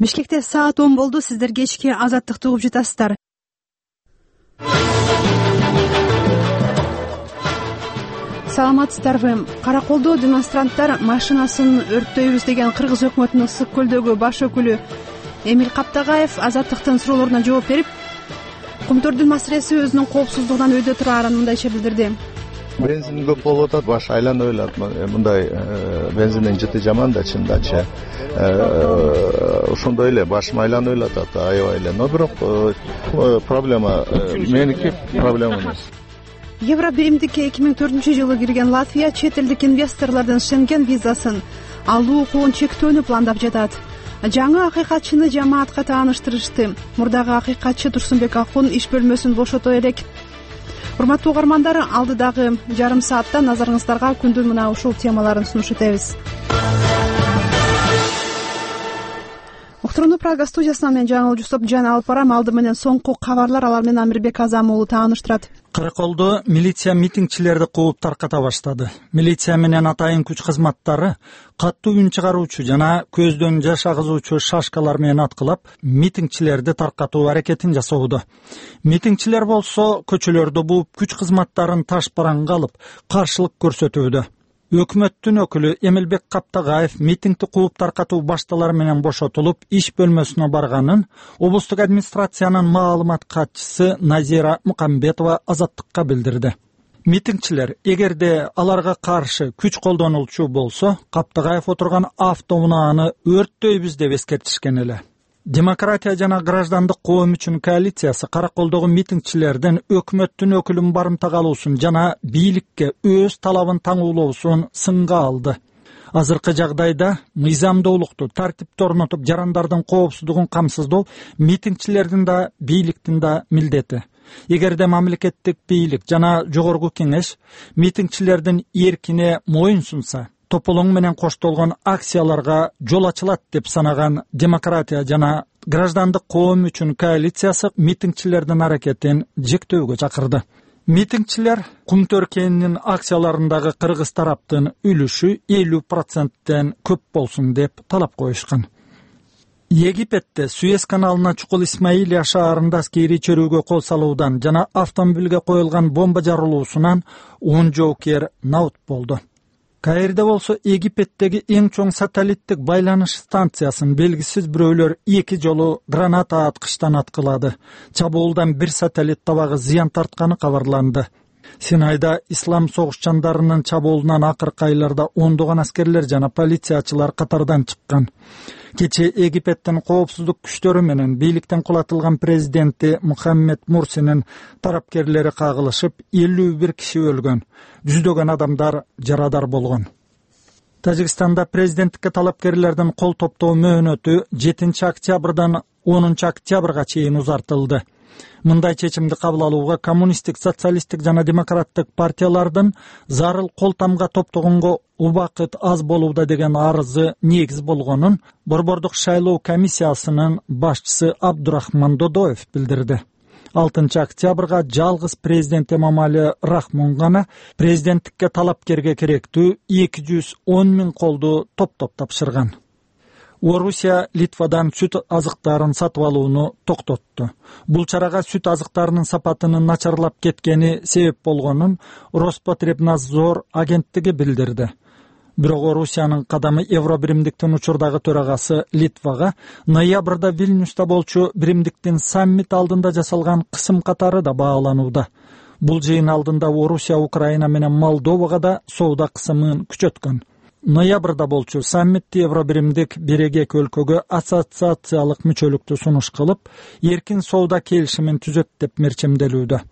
Бишкекте саат 10 болду. Сиздер кечки Азаттыкты угуп жатасыздар. Саламатсыздарбы? Караколдо демонстранттар машинасын өрттөйбүз деген кыргыз өкмөтүнүн Ысык көлдөгү баш өкүлү Эмил Каптагаев Азаттыктын суроолоруна жооп берип, Кумтөрдүн маселеси өзүнүн коопсуздугунан өйдө турарын мындайча билдирди. Бензин көп болуп атат, баш айланып элат. Мындай бензиндин жыты жаман да чындачы. Ошондой эле башым айланып элатат, аябай эле. Но бирок проблема меники проблема эмес. Евро биримдикке 2004-жылы кирген Латвия чет элдик инвесторлордун Шенген визасын алуу укугун чектөөнү пландап жатат. Жаңы акыйкатчыны жамаатка тааныштырышты. Мурдагы акыйкатчы Турсунбек Акун иш бөлмөсүн бошото элек. Урматтуу угармандар, алдыдагы жарым саатта назарыңыздарга күндүн мына ушул темаларын сунуш этебиз. Уктурууну Прага студиясынан мен Жаңыл Жусупжан алып барам. Алды менен соңку кабарлар, алар менен Амирбек Азам уулу тааныштырат. Караколдо милиция митингчилерди кууп тарката баштады. Милиция менен атайын күч кызматтары каттуу үн чыгаруучу жана көздөн жаш агызуучу шашкалар менен аткылап, митингчилерди таркатуу аракетин жасоодо. Митингчилер болсо көчөлөрдө бууп, күч кызматтарын таш бараңга алып, каршылык көрсөтүүдө. Өкмөттүн өкүлү Эмилбек Каптагаев митингди кууп таркатуу башталары менен бошотулуп, иш бөлмөсүнө барганын облустук администрациянын маалымат катчысы Назира Мукамбетова Азаттыкка билдирди. Митингчилер эгерде аларга каршы күч колдонулчу болсо, Каптагаев отурган автоунааны өрттөйбүз деп эскертишкен эле. Демократия жана граждандык коом үчүн коалициясы Караколдогу митингчилердин өкмөттүн өкүлүн барымтага алуусун жана бийликке өз талабын таңуулоосун сынга алды. Азыркы жагдайда мыйзамдуулукту, тартипти орнотуп, жарандардын коопсуздугун камсыздоо митингчилердин да, бийликтин да милдети. Эгерде мамлекеттик бийлик жана жогорку кеңеш митингчилердин эркине моюн сунса, тополоң менен коштолгон акцияларга жол ачылат деп санаган демократия жана граждандык коом үчүн коалициясы митингчилердин аракетин жектөөгө чакырды. Митингчилер Кумтөр кенинин акцияларындагы кыргыз тараптын үлүшү 50%тен көп болсун деп талап коюшкан. Египетте Суэц каналына Чукул Исмаилия шаарында аскерий чөрүүгө кол салуудан жана автомобилге коюлган бомба жарылуусунан 10 жоокер набыт болду. Каирде болсо Египеттеги эң чоң сателлиттик байланыш станциясын белгисиз бирөөлөр 2 жолу граната аткычтан аткылады. Чабуулдан бир сателлит табагы зыян тартканы кабарланды. Синайда ислам согушчандарынын чабуулунан акыркы айларда ондогон аскерлер жана полициячылар катардан чыккан. Кече Египеттин коопсуздук күчтөрү менен бийликтен кулатылган президенти Мухаммед Мурсинин тарапкерлери кагылышып, 51 киши өлгөн, жүздөгөн адамдар жарадар болгон. Тажикстанда президенттикке талапкерлердин кол топтоо мөөнөтү 7 октябрдан 10 октябрга чейин узартылды. Мындай чечимди кабыл алууга коммунисттик, социалисттик жана демократтык партиялардын зарыл кол тамга топтогонго убакыт аз болууда деген арызы негиз болгонун Борбордук шайлоо комиссиясынын башчысы Абдурахман Додоев билдирди. 6 октябрга жалгыз президент Эмомали Рахмон гана президенттикке талапкерге керектүү 210 000 колду топтоп тапшырган. Орусия Литвадан сүт азыктарын сатып алууну токтотту. Бул чарага сүт азыктарынын сапатынын начарлап кеткени себеп болгонун Роспотребнадзор агенттиги билдирди. Бирок Орусиянын кадамы Евро биримдиктин учурдагы төрагасы Литвага ноябрда Вильнюста болчу биримдиктин саммит алдында жасалган кысым катары да бааланууда. Бул жыйын алдында Орусия Украина менен Молдовага да соода кысымын күчөткөн. Ноябрда болчу саммитти Евро биримдик берегек өлкөгө ассоциациялык мүчөлүктү сунуш кылып, эркин соода келишимин түзөт деп мерчемделүүдө.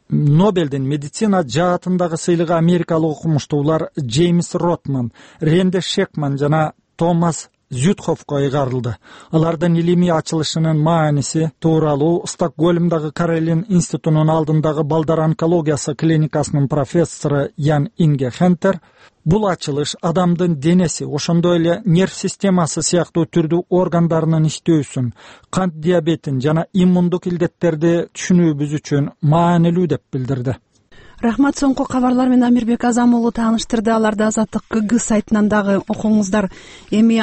Нобелдин медицина жаатындагы сыйлыгы америкалык окумуштуулар Джеймс Ротман, Ренде Шекман жана Томас Зютховко ыйгарылды. Алардын илимий ачылышынын мааниси тууралуу Стокгольмдагы Каролин институтунун алдындагы балдар онкологиясы клиникасынын профессору Ян Инге Хентер бул ачылыш адамдын денеси, ошондой эле нерв системасы сыяктуу түрдүү органдарынын иштөөсүн, кант диабетин жана иммундук илдеттерди түшүнүүбүз үчүн маанилүү деп билдирди. Рахмат, соңку кабарлар менен Амирбек Азам уулу тааныштырды. Аларды Азаттык КГ сайтынан дагы окуңуздар. Эми